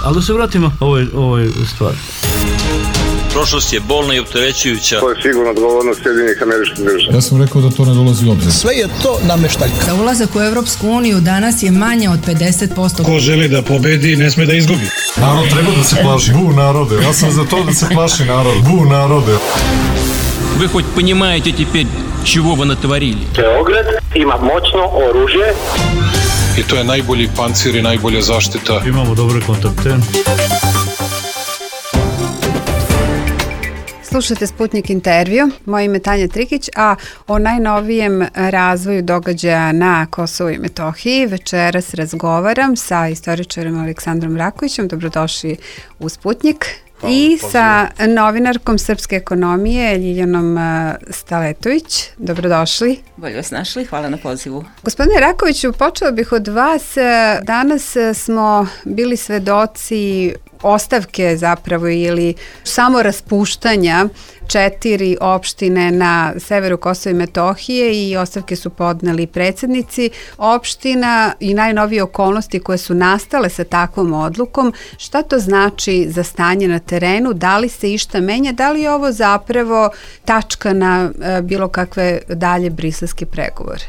Ali da se vratimo ovoj stvari. Prošlost je bolna i opterećujuća. To je sigurno odgovornost Sjedinjenih Američkih Država. Ja sam rekao da to ne dolazi u obzir. Sve je to nameštaljka. Za ulazak u Evropsku uniju danas je manje od 50%. Ko želi da pobedi, ne sme da izgubi. Narod treba da se plaši. Bu narode. Ja sam za to da se plaši narod. Bu narode. Вы хоть понимаете теперь, чего вы натворили? Beograd ima moćno oružje. I to je najbolji pancir i najbolja zaštita. Imamo dobre kontakte. Slušajte Sputnik intervju, moje ime je Tanja Trikić, a o najnovijem razvoju događaja na Kosovu i Metohiji večeras razgovaram sa istoričarem Aleksandrom Rakovićem, dobrodošli u Sputnik, i sa novinarkom srpske ekonomije Ljiljanom Staletović, dobrodošli. Bolje vas našli, hvala na pozivu. Gospodine Rakoviću, počela bih od vas, danas smo bili svedoci ostavke zapravo ili samo raspuštanja 4 opštine na severu Kosova i Metohije i ostavke su podneli predsjednici opština i najnovije okolnosti koje su nastale sa takvom odlukom. Šta to znači za stanje na terenu? Da li se išta menja? Da li je ovo zapravo tačka na bilo kakve dalje briselske pregovore?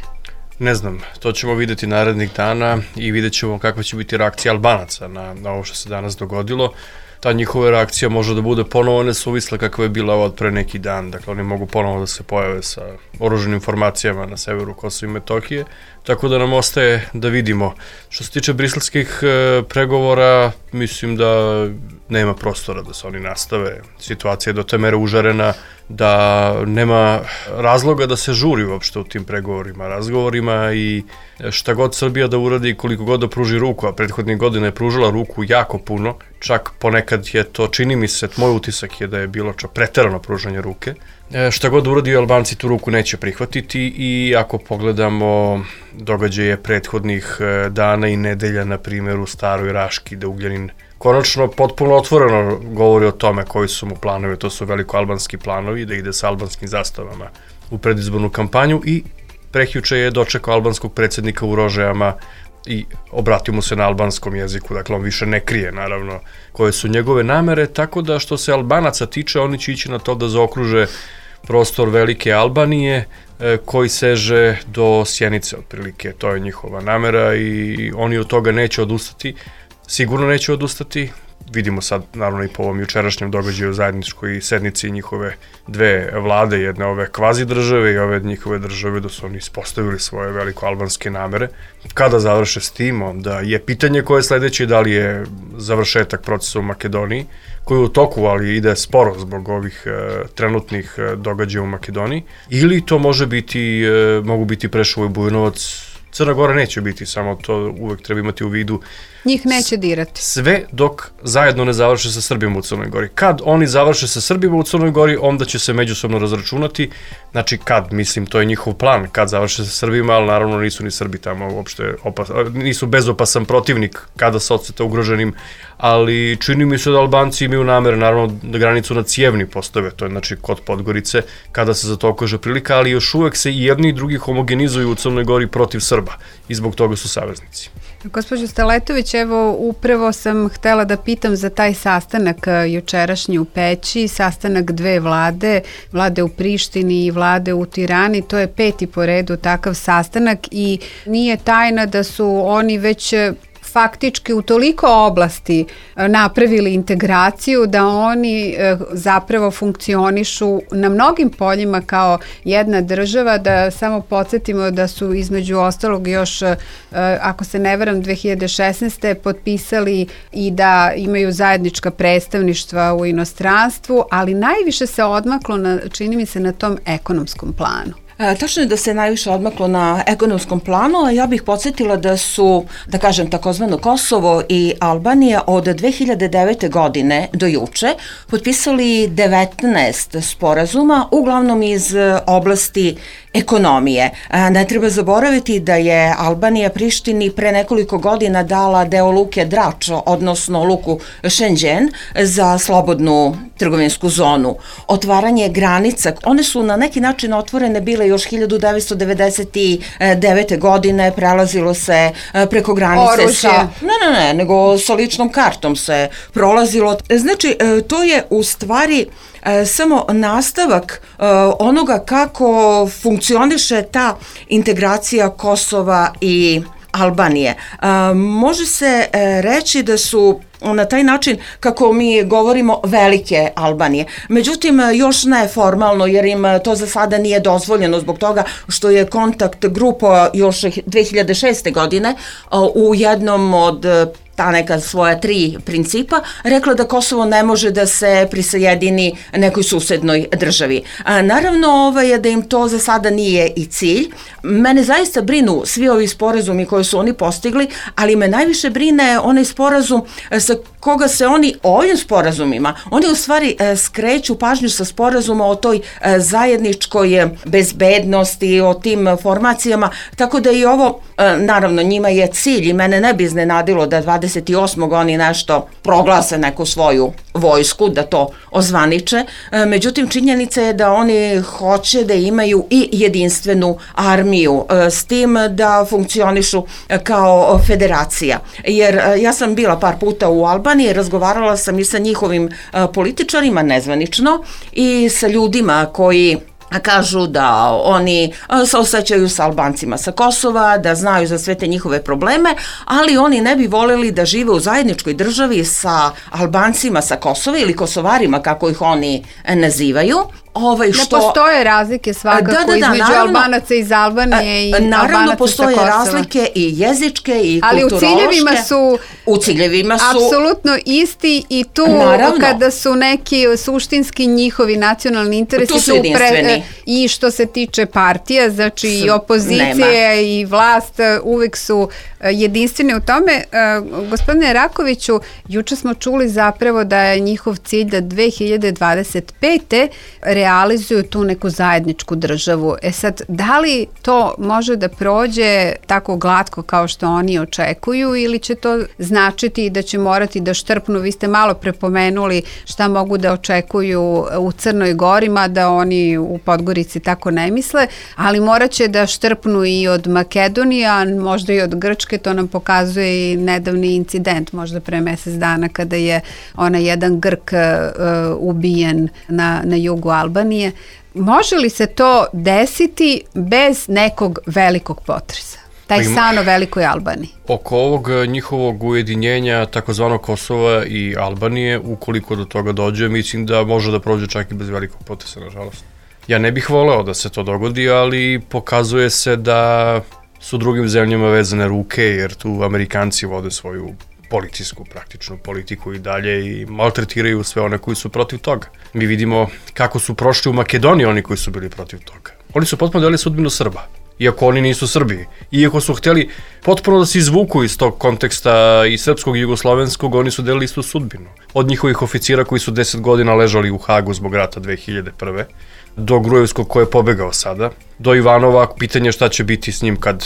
Ne znam, to ćemo vidjeti narednih dana i vidjet ćemo kakva će biti reakcija Albanaca na ovo što se danas dogodilo. Ta njihova reakcija može da bude ponovo nesuvisla kakva je bila od pre neki dan. Dakle, oni mogu ponovo da se pojave sa oružanim formacijama na severu Kosova i Metohije. Tako da nam ostaje da vidimo. Što se tiče briselskih pregovora, mislim da nema prostora da se oni nastave. Situacija je do te mere užarena da nema razloga da se žuri uopšte u tim pregovorima, razgovorima i šta god Srbija da uradi, koliko god da pruži ruku, a prethodnih godina je pružila ruku jako puno, čak ponekad je to, čini mi se, moj utisak je da je bilo preterano pružanje ruke. Šta god uradi, Albanci tu ruku neće prihvatiti i ako pogledamo događaje prethodnih dana i nedelja, na primjer u Staroj Raški, da Ugljanin konačno potpuno otvoreno govori o tome koji su mu planovi, to su velikoalbanski planovi, da ide sa albanskim zastavama u predizbornu kampanju i prekjuče je dočekao albanskog predsjednika u Rožajama i obratio mu se na albanskom jeziku, dakle on više ne krije naravno koje su njegove namere, tako da što se Albanaca tiče, oni će ići na to da zaokruže prostor Velike Albanije koji seže do Sjenice otprilike, to je njihova namera i oni od toga neće odustati, sigurno neće odustati. Vidimo sad, naravno i po ovom jučerašnjem događaju u zajedničkoj sednici njihove dve vlade, jedne ove kvazi države i ove njihove države, da su oni ispostavili svoje velikoalbanske namere. Kada završe s tim, onda je pitanje koje je sledeće, da li je završetak procesa u Makedoniji, koji je u toku, ali ide sporo zbog ovih trenutnih događaja u Makedoniji, ili to mogu biti Preševo i Bujanovac. Crna Gora neće biti, samo to uvek treba imati u vidu. Njih neće dirati. Sve dok zajedno ne završe sa Srbima u Crnoj Gori. Kad oni završe sa Srbima u Crnoj Gori, onda će se međusobno razračunati. Znači kad, mislim, to je njihov plan, kad završe sa Srbima, ali naravno nisu ni Srbi tamo uopšte, nisu bezopasan protivnik kada se odseta ugroženim, ali čini mi se da Albanci imaju namere, naravno da granicu na Cijevni postave, to je znači kod Podgorice, kada se za to okaže prilika, ali još uvek se i jedni i drugi homogenizuju u Crnoj Gori protiv Srba i zbog toga su saveznici. Gospođo Staletović, evo upravo sam htela da pitam za taj sastanak jučerašnji u Peći, sastanak dve vlade, vlade u Prištini i vlade u Tirani, to je 5. po redu takav sastanak i nije tajna da su oni već faktički u toliko oblasti napravili integraciju da oni zapravo funkcionišu na mnogim poljima kao jedna država, da samo podsjetimo da su između ostalog još, ako se ne varam, 2016. potpisali i da imaju zajednička predstavništva u inostranstvu, ali najviše se odmaklo, čini mi se, na tom ekonomskom planu. Tačno je da se najviše odmaklo na ekonomskom planu, a ja bih podsjetila da su, da kažem, takozvano Kosovo i Albanija od 2009. godine do juče potpisali 19 sporazuma, uglavnom iz oblasti ekonomije. Ne treba zaboraviti da je Albanija Prištini pre nekoliko godina dala deo luke Drač, odnosno luku Šenđen, za slobodnu trgovinsku zonu. Otvaranje granica, one su na neki način otvorene bile još 1999. godine, prelazilo se preko granice sa... Ne, nego sa ličnom kartom se prolazilo. Znači, to je u stvari samo nastavak onoga kako funkcioniše ta integracija Kosova i Albanije. Može se reći da su na taj način, kako mi govorimo, velike Albanije. Međutim, još ne formalno, jer im to za sada nije dozvoljeno zbog toga što je kontakt grupa još 2006. godine u jednom od ta neka svoja 3 principa, rekla da Kosovo ne može da se prisajedini nekoj susednoj državi. Naravno da im to za sada nije i cilj. Mene zaista brinu svi ovi sporazumi koje su oni postigli, ali me najviše brine onaj sporazum sa koga se oni ovim sporazumima, oni u stvari skreću pažnju sa sporazuma o toj zajedničkoj bezbednosti, o tim formacijama, tako da i ovo, naravno njima je cilj i mene ne bi iznenadilo da 28. oni nešto proglase neku svoju vojsku, da to ozvaniče. Međutim, činjenica je da oni hoće da imaju i jedinstvenu armiju, s tim da funkcionišu kao federacija. Jer ja sam bila par puta u Albaniji, razgovarala sam i sa njihovim političarima nezvanično i sa ljudima koji kažu da oni se osjećaju sa Albancima sa Kosova, da znaju za sve te njihove probleme, ali oni ne bi voljeli da žive u zajedničkoj državi sa Albancima sa Kosova ili Kosovarima, kako ih oni nazivaju. Ne postoje razlike svakako između Albanaca iz Albanije i Albanaca sa Kosova. Naravno postoje razlike i jezičke i kulturološke. Ali u ciljevima su apsolutno isti i tu kada su neki suštinski njihovi nacionalni interesi su jedinstveni. I što se tiče partija, znači i opozicije i vlast uvek su jedinstveni u tome. Gospodine Rakoviću, juče smo čuli zapravo da je njihov cilj da 2025. realizuju tu neku zajedničku državu. Sad, da li to može da prođe tako glatko kao što oni očekuju ili će to značiti da će morati da štrpnu? Vi ste malo prepomenuli šta mogu da očekuju u Crnoj Gori, mada oni u Podgorici tako ne misle, ali morat će da štrpnu i od Makedonije, a možda i od Grčke. To nam pokazuje i nedavni incident, možda pre mesec dana, kada je onaj jedan Grk ubijen na jugu Albanije. Može li se to desiti bez nekog velikog potresa? Taj san o velikoj Albaniji. Oko ovog njihovog ujedinjenja takozvanog Kosova i Albanije, ukoliko do toga dođe, mislim da može da prođe čak i bez velikog potresa, nažalost. Ja ne bih voleo da se to dogodi, ali pokazuje se da su drugim zemljama vezane ruke, jer tu Amerikanci vode svoju policijsku, praktičnu politiku i dalje i maltretiraju sve one koji su protiv toga. Mi vidimo kako su prošli u Makedoniji oni koji su bili protiv toga. Oni su potpuno delili sudbinu Srba, iako oni nisu Srbi. Iako su hteli potpuno da se izvuku iz tog konteksta i srpskog i jugoslovenskog, oni su delili istu sudbinu. Od njihovih oficira koji su 10 godina ležali u Hagu zbog rata 2001. do Grujevskog koji je pobegao sada, do Ivanova, pitanje šta će biti s njim kad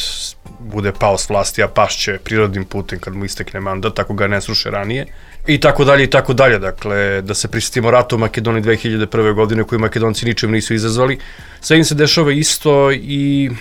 bude pao s vlasti, a pašće prirodnim putem kad mu istekne mandat, ako ga ne sruše ranije, i tako dalje i tako dalje. Dakle, da se prisjetimo ratu u Makedoniji 2001. godine koji Makedonci ničem nisu izazvali, sve im se dešava isto i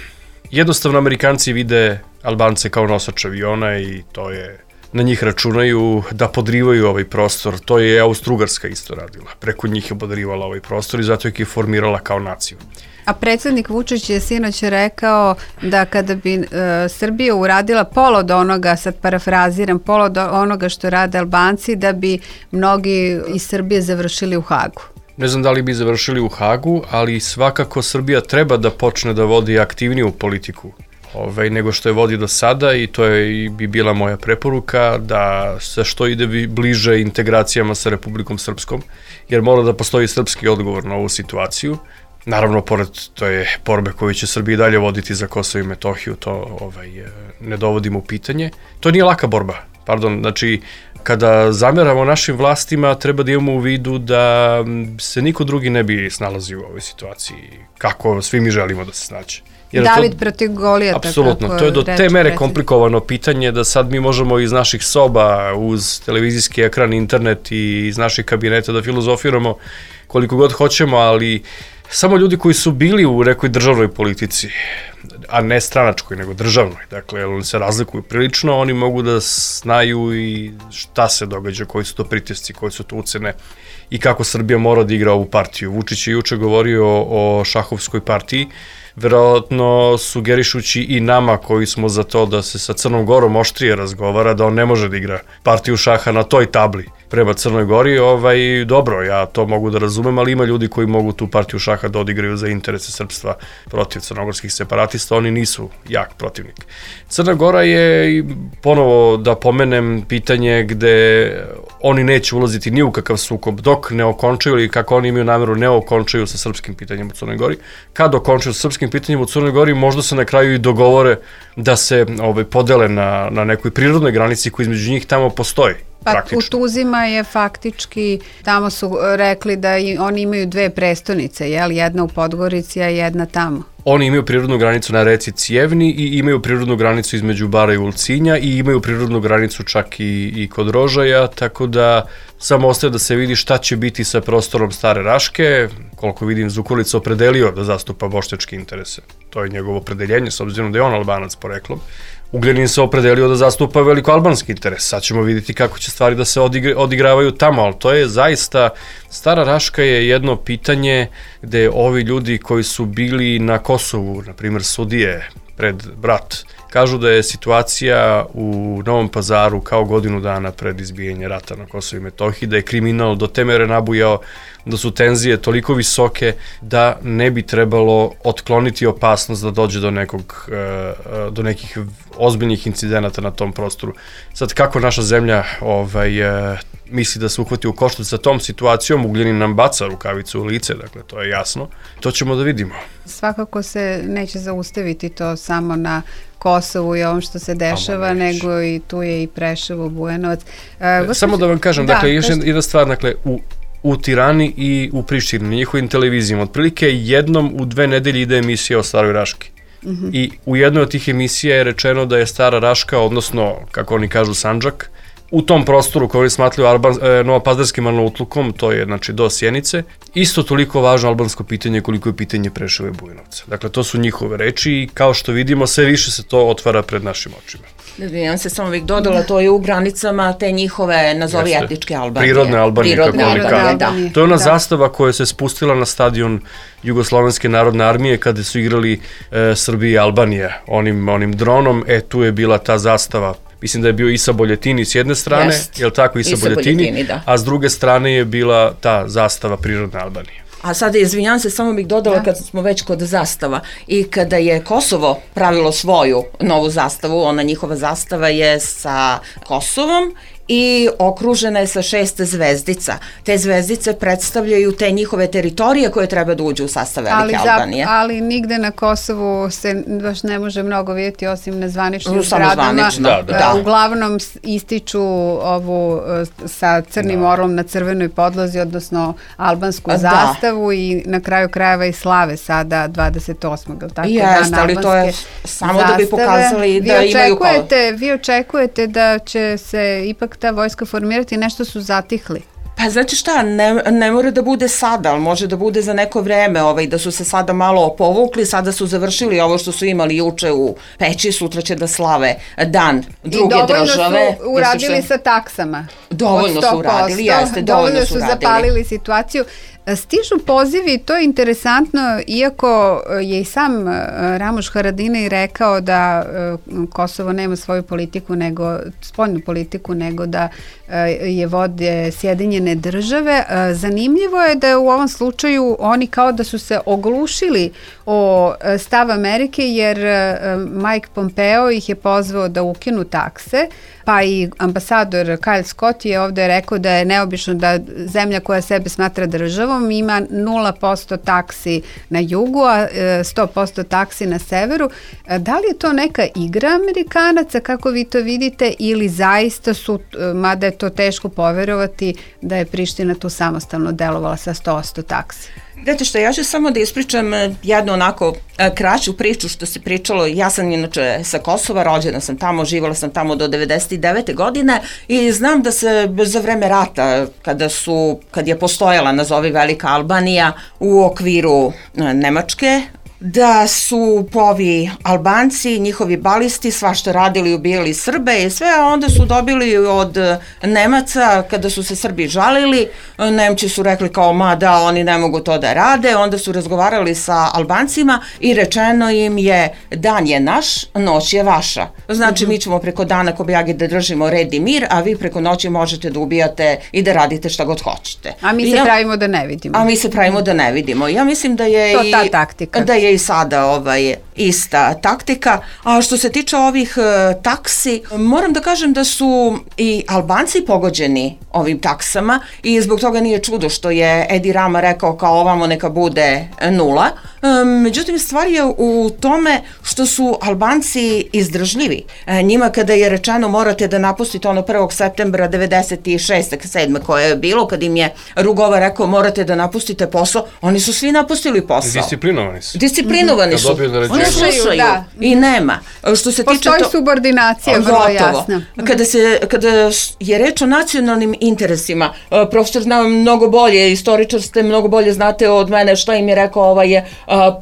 jednostavno Amerikanci vide Albance kao nosač aviona i to je, na njih računaju da podrivaju ovaj prostor. To je Austro-Ugarska isto radila. Preko njih je podrivala ovaj prostor i zato je formirala kao naciju. A predsjednik Vučić je sinoć rekao da kada bi Srbija uradila pola od onoga, sad parafraziram, pola od onoga što rade Albanci, da bi mnogi iz Srbije završili u Hagu. Ne znam da li bi završili u Hagu, ali svakako Srbija treba da počne da vodi aktivniju politiku nego što je vodi do sada i to je bi bila moja preporuka da se što ide bliže integracijama sa Republikom Srpskom, jer mora da postoji srpski odgovor na ovu situaciju. Naravno, pored to je borbe koju će Srbija dalje voditi za Kosovo i Metohiju, to ne dovodimo u pitanje. To nije laka borba. Znači, kada zameramo našim vlastima, treba da imamo u vidu da se niko drugi ne bi snalazio u ovoj situaciji, kako svi mi želimo da se snađe. David protiv Golijata. Apsolutno, to je do te mere komplikovano pitanje da sad mi možemo iz naših soba, uz televizijski ekran, internet i iz naših kabineta da filozofiramo koliko god hoćemo, ali samo ljudi koji su bili u nekoj državnoj politici, a ne stranačkoj, nego državnoj, dakle, oni se razlikuju prilično, oni mogu da znaju i šta se događa, koji su to pritisci, koje su to ucene i kako Srbija mora da igra ovu partiju. Vučić je juče govorio o šahovskoj partiji, verovatno sugerišući i nama koji smo za to da se sa Crnom Gorom oštrije razgovara, da on ne može da igra partiju šaha na toj tabli prema Crnoj Gori, dobro, ja to mogu da razumem, ali ima ljudi koji mogu tu partiju šaha da odigraju za interese srpstva protiv crnogorskih separatista, oni nisu jak protivnik. Crna Gora je, ponovo da pomenem, pitanje gde oni neće ulaziti ni u kakav sukob dok ne okončaju, ili kako oni imaju nameru ne okončaju sa srpskim pitanjem u Crnoj Gori. Kad okončaju sa srpskim pitanjem u Crnoj Gori, možda se na kraju i dogovore da se podele na nekoj prirodnoj granici koja između njih tamo postoji. Pa u Tuzima je faktički, tamo su rekli da oni imaju dve prestonice, jedna u Podgorici, a jedna tamo. Oni imaju prirodnu granicu na reci Cijevni i imaju prirodnu granicu između Bara i Ulcinja i imaju prirodnu granicu čak i kod Rožaja, tako da samo ostaje da se vidi šta će biti sa prostorom Stare Raške. Koliko vidim, Zukorlić opredelio da zastupa bošnjačke interese. To je njegovo opredeljenje, s obzirom da je on Albanac poreklom. Ugljanin se opredelio da zastupa velikoalbanski interes. Sad ćemo vidjeti kako će stvari da se odigravaju tamo, ali to je zaista, Stara Raška je jedno pitanje gde ovi ljudi koji su bili na Kosovu, na primjer sudije pred brat, kažu da je situacija u Novom Pazaru kao godinu dana pred izbijanje rata na Kosovu i Metohiji, da je kriminal do te mere nabujao, da su tenzije toliko visoke da ne bi trebalo otkloniti opasnost da dođe do nekih ozbiljnih incidenata na tom prostoru. Sad, kako naša zemlja misli da se uhvati u koštac sa tom situacijom, Ugljanin nam baca rukavicu u lice, dakle, to je jasno. To ćemo da vidimo. Svakako se neće zaustaviti to samo na Kosovu i ovom što se dešava, nego i tu je i Preševo, Bujanovac. Samo da vam kažem, dakle, još jedna stvar, dakle, u Tirani i u Prištini, na njihovim televizijama, otprilike jednom u 2 nedelje ide emisija o Staroj Raški. I u jednoj od tih emisija je rečeno da je Stara Raška, odnosno, kako oni kažu, Sandžak, u tom prostoru koji oni smatruju novopazarskim Arnautlukom, to je znači do Sjenice, isto toliko važno albansko pitanje koliko je pitanje Preševa i Bujanovca. Dakle, to su njihove reči i kao što vidimo, sve više se to otvara pred našim očima. Ja se samo uvijek dodala, to je u granicama te njihove, nazovi etničke Albanije. Prirodne Albanije, kako oni kažu. To je ona zastava koja se spustila na stadion Jugoslovenske narodne armije kada su igrali Srbija i Albanija onim dronom, tu je bila ta zastava. Mislim da je bio Isa Boljetini s jedne strane, je li tako, Isa Boljetini, a s druge strane je bila ta zastava prirodne Albanije. A sada, izvinjam se, samo bih dodala kad smo već kod zastava i kada je Kosovo pravilo svoju novu zastavu, ona njihova zastava je sa Kosovom i okružena je sa 6 zvezdica. Te zvezdice predstavljaju te njihove teritorije koje treba da uđu u sastav Velike Albanije. Ali nigde na Kosovu se baš ne može mnogo vidjeti osim na zvaničnim zgradama. Uglavnom ističu ovu sa crnim orlom na crvenoj podlozi, odnosno albansku zastavu i na kraju krajeva i slave sada 28. Jeste, ali to je samo da bi pokazali da imaju Vi očekujete da će se ipak ta vojska formirati, nešto su zatihli. Pa znači šta, ne mora da bude sada, ali može da bude za neko vreme, da su se sada malo povukli, sada su završili ovo što su imali juče u Peći, sutra će da slave dan druge države. I dovoljno su uradili sa taksama. Dovoljno su uradili, jeste, dovoljno su zapalili situaciju. Stižu pozivi, to je interesantno, iako je i sam Ramuš Haradinaj rekao da Kosovo nema svoju politiku, spoljnu politiku, nego da je vode Sjedinjene države. Zanimljivo je da u ovom slučaju oni kao da su se oglušili o stav Amerike, jer Mike Pompeo ih je pozvao da ukinu takse, pa i ambasador Kyle Scott je ovde rekao da je neobično da zemlja koja sebe smatra državom ima 0% taksi na jugu, a 100% taksi na severu. Da li je to neka igra Amerikanaca, kako vi to vidite, ili zaista su, mada je to teško poverovati, da je Priština tu samostalno delovala sa 100% taksi? Znate što, ja ću samo da ispričam jednu onako kraću priču što se pričalo. Ja sam inače sa Kosova, rođena sam tamo, živjela sam tamo do 99. godine i znam da se za vreme rata, kad je postojala, nazovi Velika Albanija, u okviru Nemačke, da su ovi Albanci, njihovi balisti, svašta radili, ubijali Srbe i sve, a onda su dobili od Nemaca, kada su se Srbi žalili, Nemci su rekli kao, ma da, oni ne mogu to da rade, onda su razgovarali sa Albancima i rečeno im je, dan je naš, noć je vaša. Znači, mi ćemo preko dana kobajagi da držimo red i mir, a vi preko noći možete da ubijate i da radite šta god hoćete. A mi se pravimo da ne vidimo. A mi se pravimo da ne vidimo. Ja mislim da je to ta taktika. Da je i sada ista taktika. A što se tiče ovih taksi, moram da kažem da su i Albanci pogođeni ovim taksama i zbog toga nije čudo što je Edi Rama rekao kao ovamo neka bude 0. Međutim, stvar je u tome što su Albanci izdržljivi. Njima kada je rečeno morate da napustite ono 1. septembra 96. 7. koje je bilo, kad im je Rugova rekao morate da napustite posao, oni su svi napustili posao. Disciplinovani su. Disciplinovani su. Oni slušaju i nema. Što se postoji subordinacija, vrlo jasna. Kada je reč o nacionalnim interesima, profesor zna mnogo bolje, istoričar ste, mnogo bolje znate od mene što im je rekao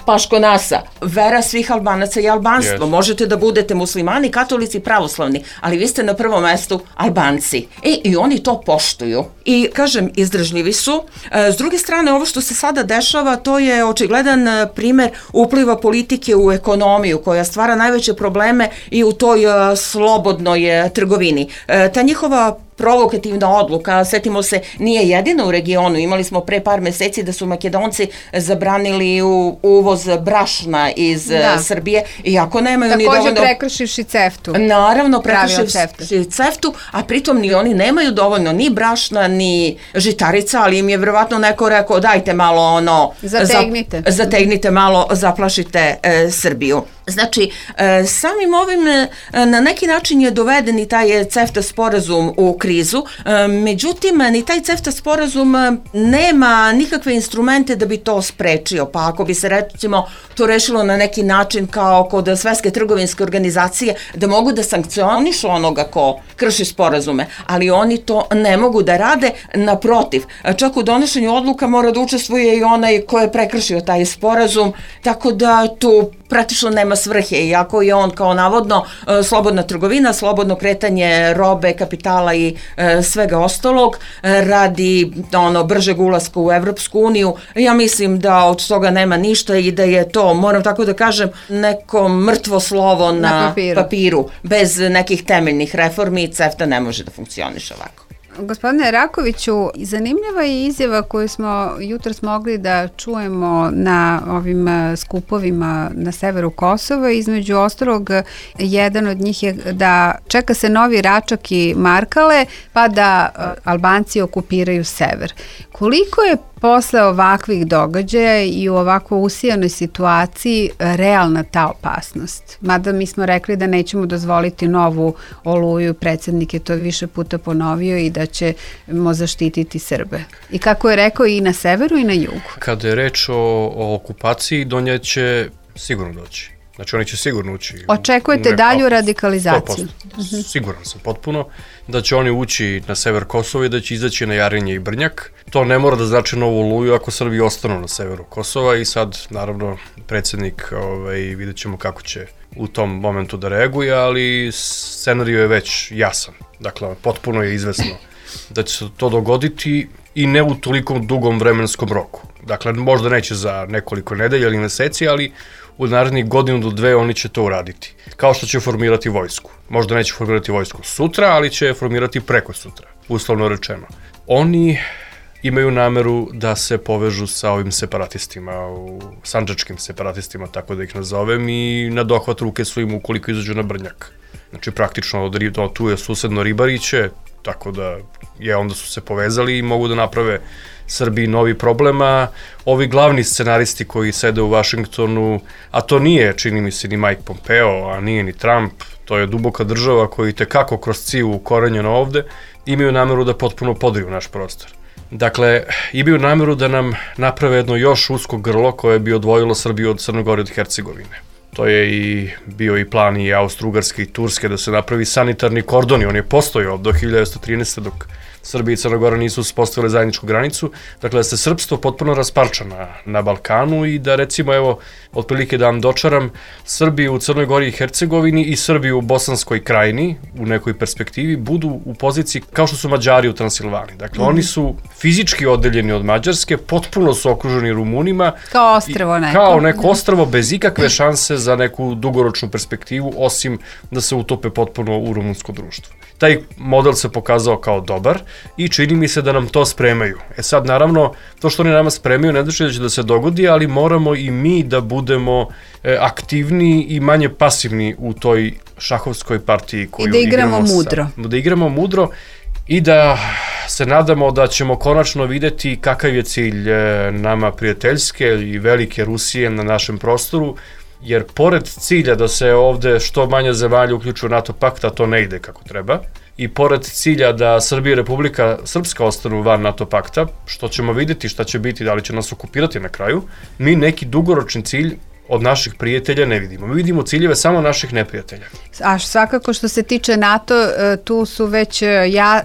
Paško Nasa. Vera svih Albanaca je albanstvo. Možete da budete muslimani, katolici, pravoslavni, ali vi ste na prvom mestu Albanci. I oni to poštuju. I, kažem, izdržljivi su. S druge strane, ovo što se sada dešava, to je očigledan primer upliva politike u ekonomiju, koja stvara najveće probleme i u toj slobodnoj trgovini. Ta njihova provokativna odluka, setimo se, nije jedina u regionu. Imali smo pre par meseci da su Makedonci zabranili uvoz brašna iz Srbije, iako nemaju ni dovoljno... Također prekršivši CEFTA-u. Naravno, prekršivši CEFTA-u, a pritom ni oni nemaju dovoljno ni brašna, ni žitarica, ali im je verovatno neko rekao dajte malo zategnite malo, zaplašite Srbiju. Znači, samim ovim na neki način je doveden i taj CEFTA sporazum u krizu, međutim, ni taj CEFTA sporazum nema nikakve instrumente da bi to sprečio, pa ako bi se recimo to rešilo na neki način kao kod Svetske trgovinske organizacije, da mogu da sankcionišu onoga ko krši sporazume, ali oni to ne mogu da rade, naprotiv, čak u donošenju odluka mora da učestvuje i onaj ko je prekršio taj sporazum, tako da tu praktično nema svrhe, iako je on kao navodno slobodna trgovina, slobodno kretanje robe, kapitala i svega ostalog, radi bržeg ulaska u Evropsku uniju. Ja mislim da od toga nema ništa i da je to, moram tako da kažem, neko mrtvo slovo na papiru. Bez nekih temeljnih reformi CEFTA ne može da funkcioniše ovako. Gospodine Rakoviću, zanimljiva je izjava koju smo jutros mogli da čujemo na ovim skupovima na severu Kosova. Između ostalog, jedan od njih je da čeka se novi Račak i Markale, pa da Albanci okupiraju sever. Koliko je posle ovakvih događaja i u ovako usijanoj situaciji realna ta opasnost? Mada mi smo rekli da nećemo dozvoliti novu oluju, predsjednik je to više puta ponovio i da ćemo zaštititi Srbe. I kako je rekao i na severu i na jugu. Kada je reč o okupaciji, do nje će sigurno doći. Znači oni će sigurno ući. Očekujete dalju radikalizaciju? 100%. Siguran sam potpuno da će oni ući na sever Kosova i da će izaći na Jarinje i Brnjak. To ne mora da znači novu oluju ako Srbi ostanu na severu Kosova i sad naravno predsjednik vidjet ćemo kako će u tom momentu da reaguje, ali scenarij je već jasan. Dakle, potpuno je izvesno da će se to dogoditi i ne u toliko dugom vremenskom roku. Dakle, možda neće za nekoliko nedelja ili meseci, ali u narednih godinu do 2 oni će to uraditi. Kao što će formirati vojsku. Možda neće formirati vojsku sutra, ali će formirati preko sutra, uslovno rečeno. Oni imaju nameru da se povežu sa ovim separatistima, sandžačkim separatistima, tako da ih nazovem, i na dohvat ruke su im ukoliko izađu na Brnjak. Znači praktično tu je susedno Ribariće, tako da onda su se povezali i mogu da naprave Srbiji novi problema. Ovi glavni scenaristi koji sede u Vašingtonu, a to nije, čini mi se, ni Mike Pompeo, a nije ni Trump, to je duboka država koji tekako kroz ciju ukorenjena ovde, imaju nameru da potpuno podriju naš prostor. Dakle, imaju nameru da nam naprave jedno još usko grlo koje bi odvojilo Srbiju od Crne Gore i od Hercegovine. To je bio i plan i Austro-Ugarske i Turske da se napravi sanitarni kordon i on je postojao do 1913. dok Srbija i Crna Gora nisu uspostavile zajedničku granicu. Dakle, da se srpstvo potpuno rasparča na Balkanu i da recimo, evo, otprilike da vam dočaram, Srbiju u Crnoj Gori i Hercegovini i Srbiju u Bosanskoj krajini u nekoj perspektivi budu u poziciji kao što su Mađari u Transilvaniji. Dakle, oni su fizički odeljeni od Mađarske, potpuno su okruženi Rumunima. Kao ostrvo neko. Kao neko ostrvo bez ikakve šanse za neku dugoročnu perspektivu, osim da se utope potpuno u rumunsko društvo. Taj model se pokazao kao dobar i čini mi se da nam to spremaju. Sad, naravno, to što oni nama spremaju ne znači da će da se dogodi, ali moramo i mi da budemo aktivni i manje pasivni u toj šahovskoj partiji koju igramo. I da igramo mudro. Da igramo mudro i da se nadamo da ćemo konačno videti kakav je cilj nama prijateljske i velike Rusije na našem prostoru, jer pored cilja da se ovde što manje zemalja uključuju u NATO pakt, a to ne ide kako treba, i pored cilja da Srbija i Republika Srpska ostanu van NATO pakta, što ćemo videti šta će biti, da li će nas okupirati na kraju, mi neki dugoročni cilj od naših prijatelja ne vidimo. Mi vidimo ciljeve samo naših neprijatelja. A svakako što se tiče NATO, tu su već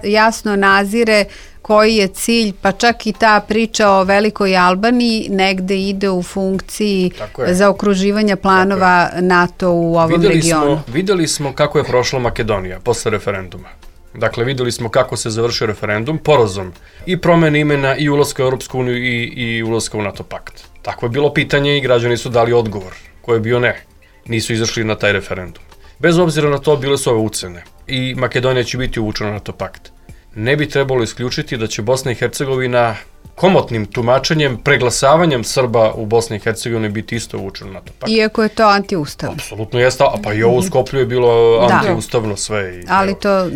jasno nazire koji je cilj, pa čak i ta priča o Velikoj Albaniji negde ide u funkciji zaokruživanja planova NATO u ovom regionu. Videli smo kako je prošla Makedonija posle referenduma. Dakle, videli smo kako se završio referendum porazom i promene imena i ulaska u Europsku uniju i ulaska u NATO pakt. Tako je bilo pitanje i građani su dali odgovor, koji je bio ne. Nisu izašli na taj referendum. Bez obzira na to, bile su ove ucene i Makedonija će biti uvučena na NATO pakt. Ne bi trebalo isključiti da će Bosna i Hercegovina komotnim tumačenjem, preglasavanjem Srba u Bosni i Hercegovini biti isto uvučeno na NATO pakt. Iako je to antiustavno. Apsolutno jeste, a pa i ovo u Skoplju je bilo antiustavno sve.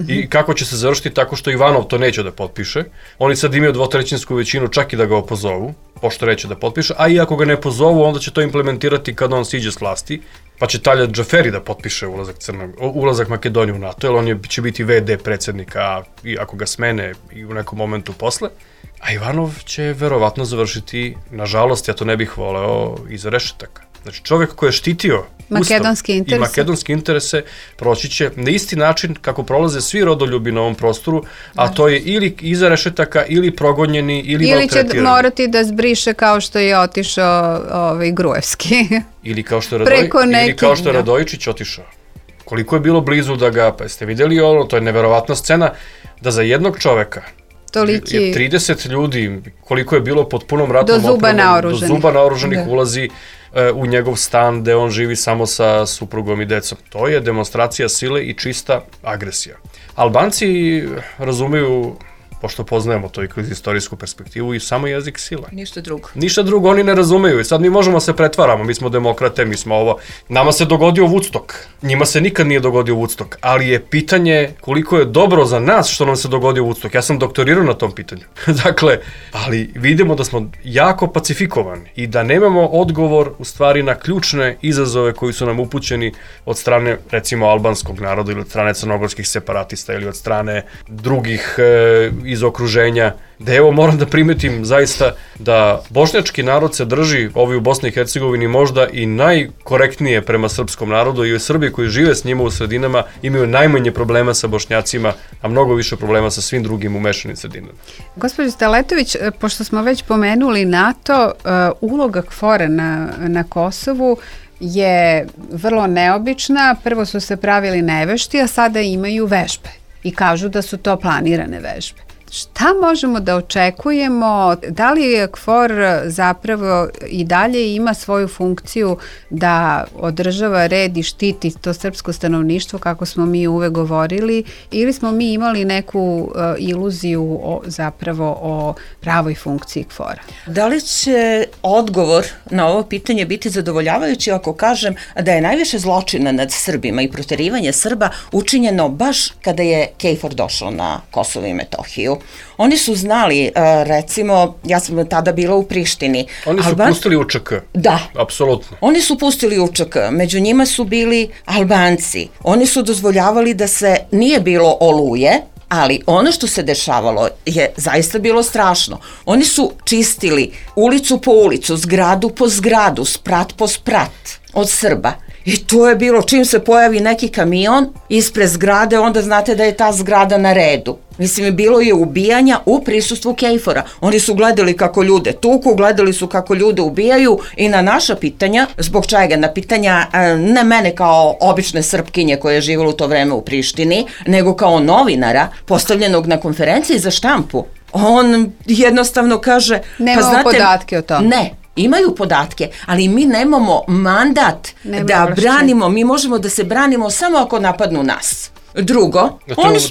I kako će se završiti tako što Ivanov to neće da potpiše. Oni sad imaju dvotrećinsku većinu čak i da ga opozovu, pošto neće da potpiše, a i ako ga ne pozovu, onda će to implementirati kad on siđe s vlasti, pa će Talja Džaferi da potpiše ulazak Makedonije u NATO, jer on će biti VD predsjednika, i ako ga smene i u nekom momentu posle. A Ivanov će verovatno završiti, nažalost, ja to ne bih voleo, iza rešetaka. Znači, čovjek koji je štitio makedonski makedonske interese proći će na isti način kako prolaze svi rodoljubi na ovom prostoru, a to je ili iza rešetaka, ili progonjeni, ili maltretirani. Ili će morati da zbriše kao što je otišao Gruevski. Ili kao što je Radojičić otišao. Koliko je bilo blizu da ga, pa jeste vidjeli ono, to je neverovatna scena, da za jednog čoveka je 30 ljudi, koliko je bilo pod punom ratom do zuba naoruženih ulazi u njegov stan gde on živi samo sa suprugom i decom. To je demonstracija sile i čista agresija. Albanci razumeju, pošto poznajemo to i kroz istorijsku perspektivu, i samo jezik sila. Ništa drugo oni ne razumeju i sad mi možemo se pretvaramo, mi smo demokrate, mi smo ovo. Nama se dogodio Woodstock, njima se nikad nije dogodio Woodstock, ali je pitanje koliko je dobro za nas što nam se dogodio Woodstock. Ja sam doktorirao na tom pitanju. Dakle, ali vidimo da smo jako pacifikovani i da nemamo odgovor u stvari na ključne izazove koji su nam upućeni od strane, recimo, albanskog naroda ili od strane crnogorskih separatista ili od strane drugih iz okruženja, da evo moram da primetim zaista da bošnjački narod se drži, ovi u Bosni i Hercegovini, možda i najkorektnije prema srpskom narodu, i Srbi koji žive s njima u sredinama imaju najmanje problema sa Bošnjacima, a mnogo više problema sa svim drugim umešanim sredinama. Gospođo Staletović, pošto smo već pomenuli NATO, uloga KFOR-a na Kosovu je vrlo neobična. Prvo su se pravili nevešti, a sada imaju vežbe i kažu da su to planirane vežbe. Šta možemo da očekujemo? Da li KFOR zapravo i dalje ima svoju funkciju da održava red i štiti to srpsko stanovništvo, kako smo mi uvek govorili, ili smo mi imali neku iluziju zapravo o pravoj funkciji KFOR-a? Da li će odgovor na ovo pitanje biti zadovoljavajući ako kažem da je najviše zločina nad Srbima i proterivanje Srba učinjeno baš kada je KFOR došao na Kosovo i Metohiju? Oni su znali, recimo, ja sam tada bila u Prištini. Oni su pustili UČK. Da. Apsolutno. Oni su pustili UČK, među njima su bili Albanci. Oni su dozvoljavali da se nije bilo oluje, ali ono što se dešavalo je zaista bilo strašno. Oni su čistili ulicu po ulicu, zgradu po zgradu, sprat po sprat od Srba. I to je bilo, čim se pojavi neki kamion ispred zgrade, onda znate da je ta zgrada na redu. Mislim, bilo je ubijanja u prisustvu KFOR-a. Oni su gledali kako ljude tuku, gledali su kako ljude ubijaju i na naša pitanja, zbog čega? Na pitanja ne mene kao obične Srpkinje koja je živjela u to vreme u Prištini, nego kao novinara postavljenog na konferenciji za štampu. On jednostavno kaže... Nemamo podatke o tome. Ne. Imaju podatke, ali mi nemamo mandat da branimo, mi možemo da se branimo samo ako napadnu nas. Drugo...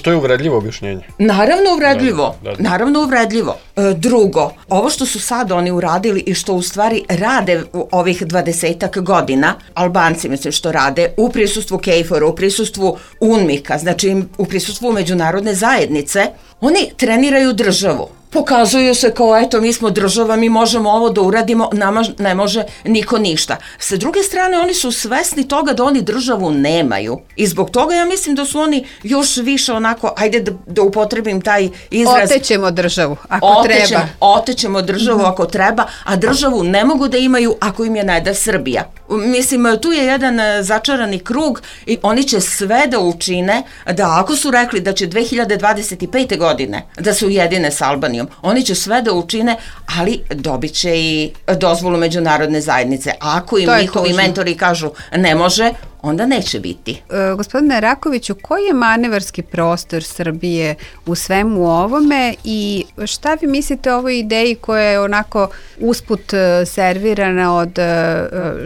To je uvredljivo objašnjenje. Naravno uvredljivo, naravno uvredljivo. Drugo, ovo što su sad oni uradili i što u stvari rade u ovih 20-ak godina, Albanci mislim što rade, u prisustvu KFOR-a, u prisustvu UNMIK-a, znači u prisustvu međunarodne zajednice, oni treniraju državu. Pokazuju se kao, eto, mi smo država, mi možemo ovo da uradimo, nama ne može niko ništa. Sa druge strane, oni su svesni toga da oni državu nemaju. I zbog toga ja mislim da su oni još više onako, ajde da upotrebim taj izraz. Otećemo državu, ako treba. Otećemo državu ako treba, a državu ne mogu da imaju ako im je ne da Srbija. Mislim, tu je jedan začarani krug i oni će sve da učine da ako su rekli da će 2025. godine da se ujedine s Albanijom, oni će sve da učine, ali dobit će i dozvolu međunarodne zajednice. A ako im njihovi mentori kažu ne može, onda neće biti. Gospodine Rakoviću, koji je manevarski prostor Srbije u svemu ovome i šta vi mislite o ovoj ideji koja je onako usput servirana od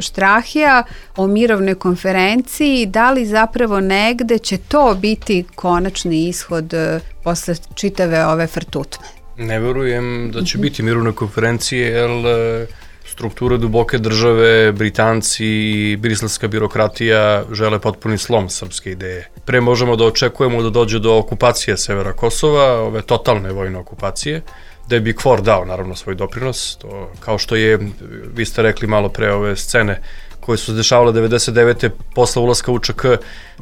Štrahija o mirovnoj konferenciji? Da li zapravo negde će to biti konačni ishod posle čitave ove frtutme? Ne verujem da će biti mirovne konferencije, jer strukture duboke države, Britanci i briselska birokratija žele potpuni slom srpske ideje. Pre možemo da očekujemo da dođe do okupacije severa Kosova, ove totalne vojne okupacije, da bi KFOR dao naravno svoj doprinos, to kao što je, vi ste rekli malo pre ove scene koje su se dešavale 99. posle ulaska u UČK,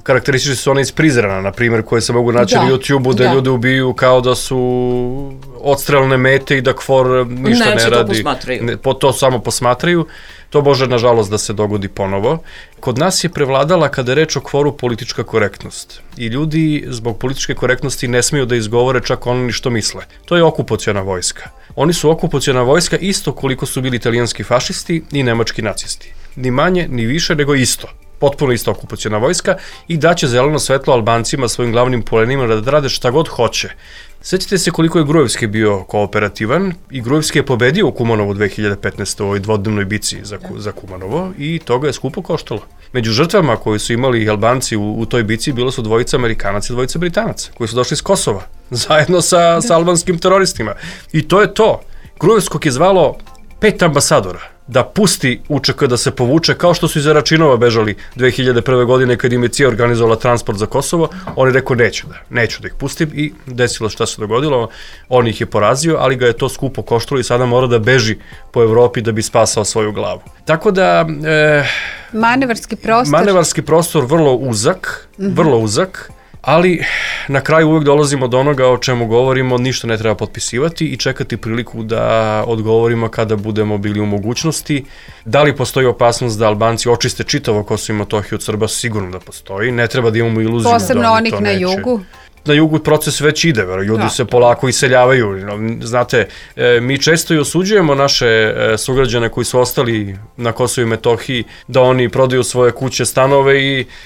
karakteristični su one iz Prizrena, na primjer, koje se mogu naći na YouTube-u, da ljude ubiju kao da su odstrelne mete i da KFOR ništa ne radi. To samo posmatraju. To može, nažalost, da se dogodi ponovo. Kod nas je prevladala, kada je reč o KFOR-u, politička korektnost. I ljudi zbog političke korektnosti ne smiju da izgovore čak ono ni što misle. To je okupaciona vojska. Oni su okupaciona vojska isto koliko su bili italijanski fašisti i nemački nacisti. Ni manje, ni više, nego isto. Potpuno isto okupaciona vojska i daće zeleno svetlo Albancima, svojim glavnim polenima, da rade šta god hoće. Sjećate se koliko je Gruevski bio kooperativan i Gruevski je pobedio u Kumanovu 2015. u ovoj dvodnevnoj bici za Kumanovo i toga je skupo koštalo. Među žrtvama koje su imali Albanci u toj bici bilo su dvojica Amerikanaca i dvojica Britanaca koji su došli iz Kosova zajedno sa albanskim teroristima. I to je to. Gruevskog je zvalo 5 ambasadora da pusti UČK da se povuče, kao što su iz Račinova bežali 2001. godine kad im je CIA organizovala transport za Kosovo. Oni rekao neću da ih pustim i desilo šta se dogodilo, on ih je porazio, ali ga je to skupo koštalo i sada mora da beži po Evropi da bi spasao svoju glavu. Tako da... Manevarski prostor vrlo uzak, ali na kraju uvek dolazimo do onoga o čemu govorimo, ništa ne treba potpisivati i čekati priliku da odgovorimo kada budemo bili u mogućnosti. Da li postoji opasnost da Albanci očiste čitavo Kosovo i Metohiju od Srba? Sigurno da postoji, ne treba da imamo iluziju da oni to neće. Posebno onih na jugu? na jugu proces već ide, ljudi se polako iseljavaju. Znate, mi često i osuđujemo naše sugrađane koji su ostali na Kosovu i Metohiji da oni prodaju svoje kuće, stanove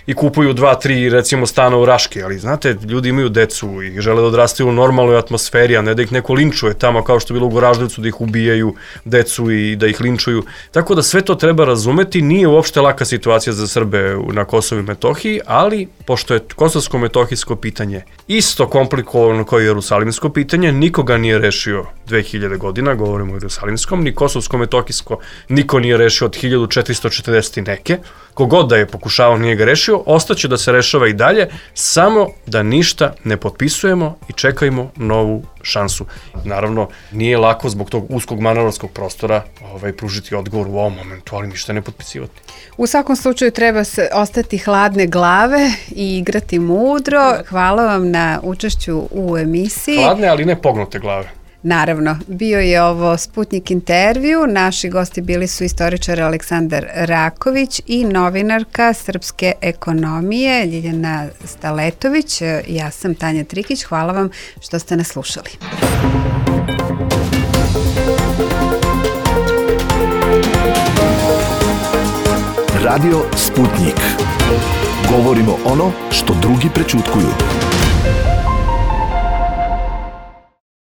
i kupuju 2-3 recimo stana u Raški, ali znate, ljudi imaju decu i žele da odrastaju u normalnoj atmosferi, a ne da ih neko linčuje tamo kao što je bilo u Goraždevcu, da ih ubijaju decu i da ih linčuju. Tako da sve to treba razumeti, nije uopšte laka situacija za Srbe na Kosovu i Metohiji, ali pošto je kosovsko-metohijsko pitanje isto komplikovano kao i jerusalimsko pitanje, nikoga nije rešio 2000 godina, govorimo o jerusalimskom, ni kosovsko-metohijsko niko nije rešio od 1440 i neke, kogod da je pokušavao nije ga rešio, ostaće da se rešava i dalje, samo da ništa ne potpisujemo i čekajmo novu šansu. Naravno, nije lako zbog tog uskog manarskog prostora pružiti odgovor u ovom momentu, ali ništa ne potpisivati. U svakom slučaju treba se ostati hladne glave i igrati mudro. Hvala vam na učešću u emisiji. Hladne, ali ne pognute glave. Naravno, bio je ovo Sputnik intervju. Naši gosti bili su istoričar Aleksandar Raković i novinarka srpske ekonomije Ljiljana Staletović. Ja sam Tanja Trikić. Hvala vam što ste nas slušali. Radio Sputnik. Govorimo ono što drugi prećutkuju.